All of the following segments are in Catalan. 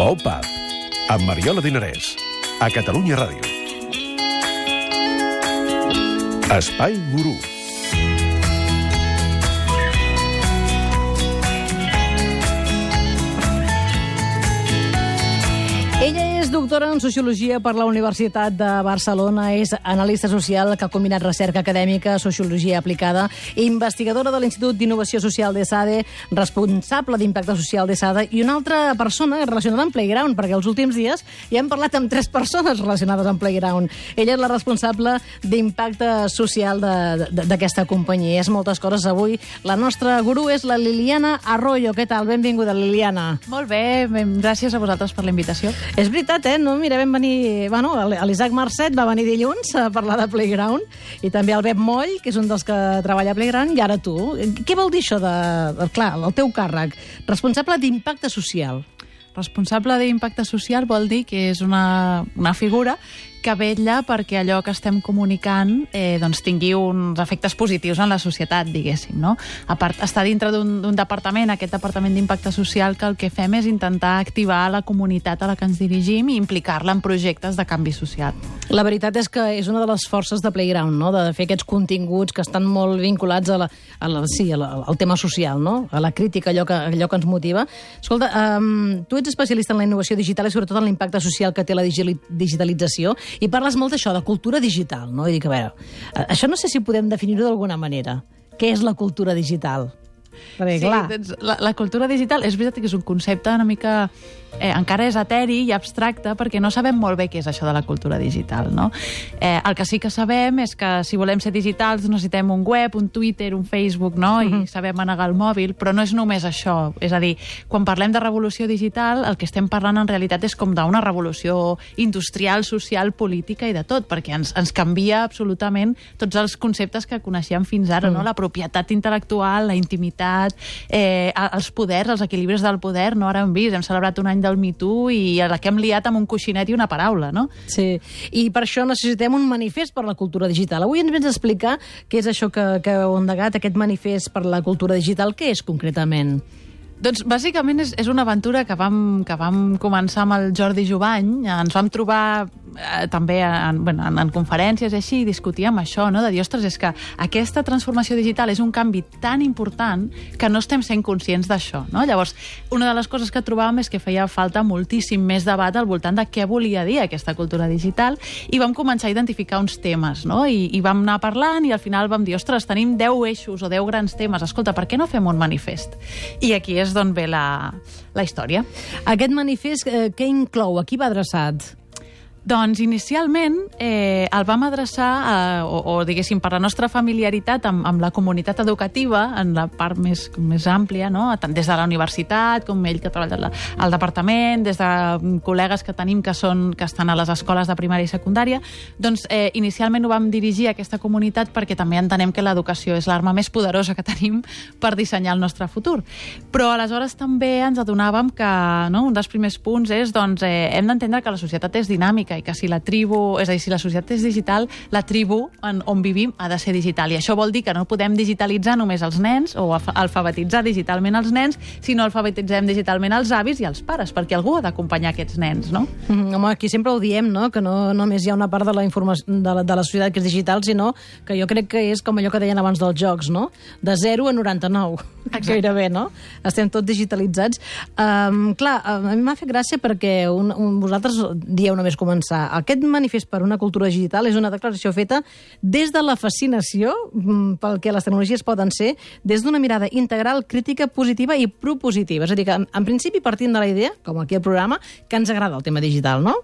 Opa, amb Mariola Dinarès, a Catalunya Ràdio. Espai Gurú. Ella és doctora en Sociologia per la Universitat de Barcelona, és analista social que ha combinat recerca acadèmica, sociologia aplicada, investigadora de l'Institut d'Innovació Social d'ESADE, responsable d'impacte social d'ESADE i una altra persona relacionada amb Playground, perquè els últims dies ja hem parlat amb 3 persones relacionades amb Playground. Ella és la responsable d'impacte social d'aquesta companyia. És moltes coses avui. La nostra gurú és la Liliana Arroyo. Què tal? Benvinguda, Liliana. Molt bé, gràcies a vosaltres per la invitació. És veritat, no? Mira, vam venir... Bueno, l'Isaac Marcet va venir dilluns a parlar de Playground i també el Pep Moll, que és un dels que treballa a Playground, i ara tu. Què vol dir això clar, el teu càrrec? Responsable d'impacte social. Responsable d'impacte social vol dir que és una figura que vetlla perquè allò que estem comunicant doncs tingui uns efectes positius en la societat, diguéssim, no? A part, està dintre d'un departament, aquest departament d'impacte social, que el que fem és intentar activar la comunitat a la que ens dirigim i implicar-la en projectes de canvi social. La veritat és que és una de les forces de Playground, no? De fer aquests continguts que estan molt vinculats al tema social, no? A la crítica, allò que ens motiva. Escolta, tu ets especialista en la innovació digital i sobretot en l'impacte social que té la digitalització, i parles molt d'això, de cultura digital, no? I dic, a veure, això no sé si podem definir-ho d'alguna manera. Què és la cultura digital? Perquè, clar... Sí, la cultura digital és veritat que és un concepte una mica... encara és eteri i abstracte perquè no sabem molt bé què és això de la cultura digital, no? El que sí que sabem és que si volem ser digitals necessitem un web, un Twitter, un Facebook, no? I sabem manegar el mòbil, però no és només això. És a dir, quan parlem de revolució digital, el que estem parlant en realitat és com d'una revolució industrial, social, política i de tot, perquè ens canvia absolutament tots els conceptes que coneixíem fins ara, no? La propietat intel·lectual, la intimitat, els poders, els equilibris del poder, no? Ara hem vist, hem celebrat un any del Me Too i a la que hem liat amb un coixinet i una paraula, no? Sí, i per això necessitem un manifest per la cultura digital. Avui ens vens a explicar què és això que heu endegat, aquest manifest per la cultura digital. Què és concretament? Doncs bàsicament és una aventura que vam començar amb el Jordi Jubany. Ens vam trobar també en conferències i així, i discutíem això, no? De dir, ostres, és que aquesta transformació digital és un canvi tan important que no estem sent conscients d'això, no? Llavors, una de les coses que trobàvem és que feia falta moltíssim més debat al voltant de què volia dir aquesta cultura digital, i vam començar a identificar uns temes, no? I vam anar parlant i al final vam dir, ostres, tenim 10 eixos o 10 grans temes, escolta, per què no fem un manifest? I aquí és d'on ve la història. Aquest manifest què inclou? A qui va adreçat? Doncs inicialment el vam adreçar, o diguéssim, per la nostra familiaritat amb la comunitat educativa, en la part més àmplia, no? Tant des de la universitat, com ell que treballa al departament, des de col·legues que tenim que estan a les escoles de primària i secundària. Doncs inicialment ho vam dirigir a aquesta comunitat perquè també entenem que l'educació és l'arma més poderosa que tenim per dissenyar el nostre futur. Però aleshores també ens adonàvem que, no, un dels primers punts és, doncs, hem d'entendre que la societat és dinàmica i que si la tribu, és a dir, si la societat és digital, la tribu on vivim ha de ser digital. I això vol dir que no podem digitalitzar només els nens o alfabetitzar digitalment els nens, sinó alfabetitzem digitalment els avis i els pares, perquè algú ha d'acompanyar aquests nens, no? Home, aquí sempre ho diem, no? Que no només hi ha una part de la informació de la societat que és digital, sinó que jo crec que és com allò que deien abans dels jocs, no? De 0 a 99. Exacte. Gairebé, no? Estem tots digitalitzats. Clar, a mi m'ha fet gràcia perquè vosaltres dieu només començar. Aquest manifest per una cultura digital és una declaració feta des de la fascinació pel que les tecnologies poden ser, des d'una mirada integral, crítica, positiva i propositiva. És a dir, que en principi partim de la idea, com aquí al programa, que ens agrada el tema digital, no?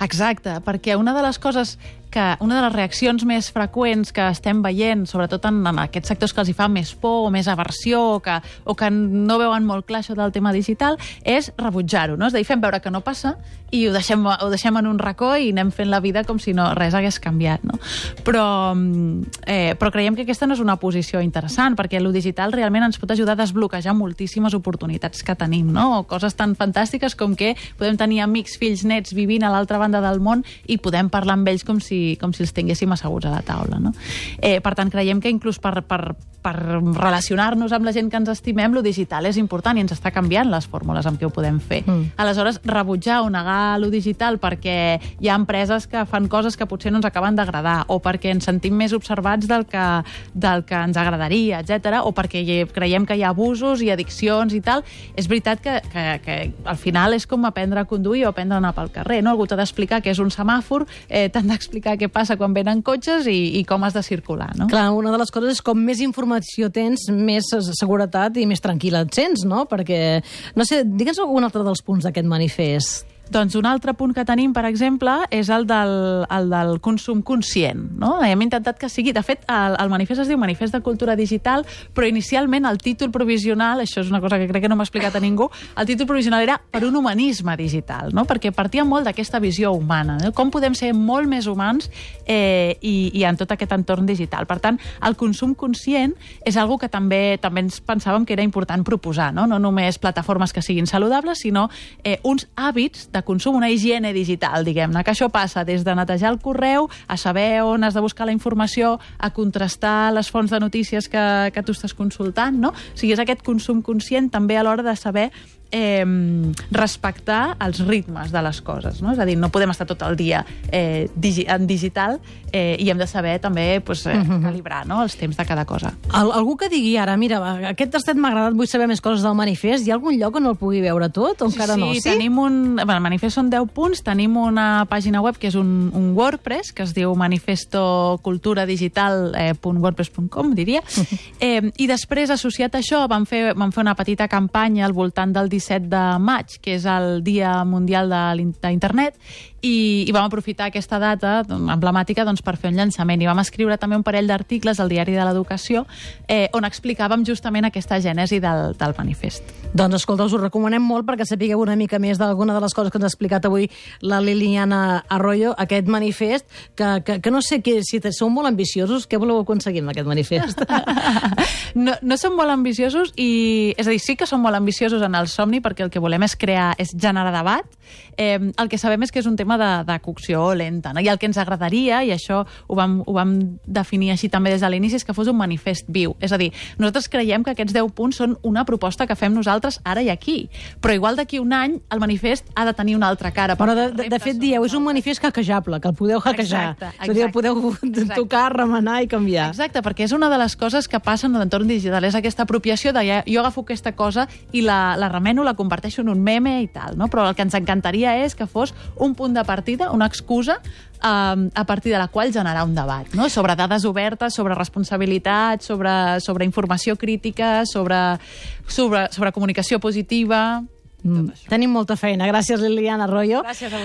Exacte, perquè una de les reaccions més freqüents que estem veient, sobretot en aquests sectors que els hi fa més por o més aversió o que no veuen molt clar això del tema digital, és rebutjar-ho, no? És a dir, fem veure que no passa i ho deixem en un racó i anem fent la vida com si res hagués canviat, no? Però creiem que aquesta no és una posició interessant, perquè el digital realment ens pot ajudar a desbloquejar moltíssimes oportunitats que tenim, no? O coses tan fantàstiques com que podem tenir amics, fills, nets vivint a l'altra banda del món i podem parlar amb ells com si els tinguéssim asseguts a la taula, no? Per tant, creiem que inclús per relacionar-nos amb la gent que ens estimem, lo digital és important i ens està canviant les fórmules amb què ho podem fer. Aleshores, rebutjar o negar lo digital perquè hi ha empreses que fan coses que potser no ens acaben d'agradar, o perquè ens sentim més observats del que ens agradaria, etc, o perquè creiem que hi ha abusos i addiccions i tal, és veritat que al final és com aprendre a conduir o aprendre a anar pel carrer, no? Algú t'ha d'explicar què és un semàfor, t'han d'explicar què passa quan venen cotxes i com has de circular, no? Clar, una de les coses és com més informació tens, més seguretat i més tranquil·la et sents, no? Perquè, no sé, digue'ns algun altre dels punts d'aquest manifest. Doncs un altre punt que tenim, per exemple, és el del consum conscient, no? Hem intentat que sigui... De fet, el manifest es diu Manifest de Cultura Digital, però inicialment el títol provisional, això és una cosa que crec que no m'ha explicat a ningú, el títol provisional era Per un humanisme digital, no? Perquè partia molt d'aquesta visió humana, no? Com podem ser molt més humans i en tot aquest entorn digital. Per tant, el consum conscient és algo que també ens pensàvem que era important proposar, no? No només plataformes que siguin saludables, sinó uns hàbits de consum, una higiene digital, diguem-ne, que això passa des de netejar el correu, a saber on has de buscar la informació, a contrastar les fonts de notícies que tu estàs consultant, no? O sigui, és aquest consum conscient també a l'hora de saber respectar els ritmes de les coses, no? És a dir, no podem estar tot el dia en digital i hem de saber també calibrar, no? Els temps de cada cosa. Algú que digui ara, mira, aquest tastet m'ha agradat, vull saber més coses del manifest, hi ha algun lloc on el pugui veure tot o encara no? Sí, tenim el manifest són 10 punts, tenim una pàgina web que és un WordPress, que es diu manifestoculturadigital.wordpress.com, diria, i després, associat a això, vam fer una petita campanya al voltant del 17 de maig, que és el Dia Mundial d'Internet, i vam aprofitar aquesta data emblemàtica per fer un llançament. I vam escriure també un parell d'articles al Diari de l'Educació on explicàvem justament aquesta gènesi del manifest. Doncs escolta, us ho recomanem molt perquè sapigueu una mica més d'alguna de les coses que ens ha explicat avui la Liliana Arroyo, aquest manifest, que no sé si sou molt ambiciosos, què voleu aconseguir amb aquest manifest? No som molt ambiciosos, és a dir, sí que som molt ambiciosos en el somni perquè el que volem és generar debat. El que sabem és que és un tema de cocció lenta, no? I el que ens agradaria, i això ho vam definir així també des de l'inici, és que fos un manifest viu. És a dir, nosaltres creiem que aquests 10 punts són una proposta que fem nosaltres ara i aquí, però igual d'aquí un any el manifest ha de tenir una altra cara. Però de fet dieu, és un manifest hackejable, que el podeu hackejar. És a dir, el podeu tocar, remenar i canviar. Exacte, perquè és una de les coses que passa en l'entorn digital, és aquesta apropiació de jo agafo aquesta cosa i la remeno, la converteixo en un meme i tal, no? Però el que ens encantaria és que fos un punt de partida, una excusa a partir de la qual generar un debat, no? Sobre dades obertes, sobre responsabilitat, sobre informació crítica, sobre comunicació positiva. Tenim molta feina. Gràcies, Liliana Arroyo. Gràcies a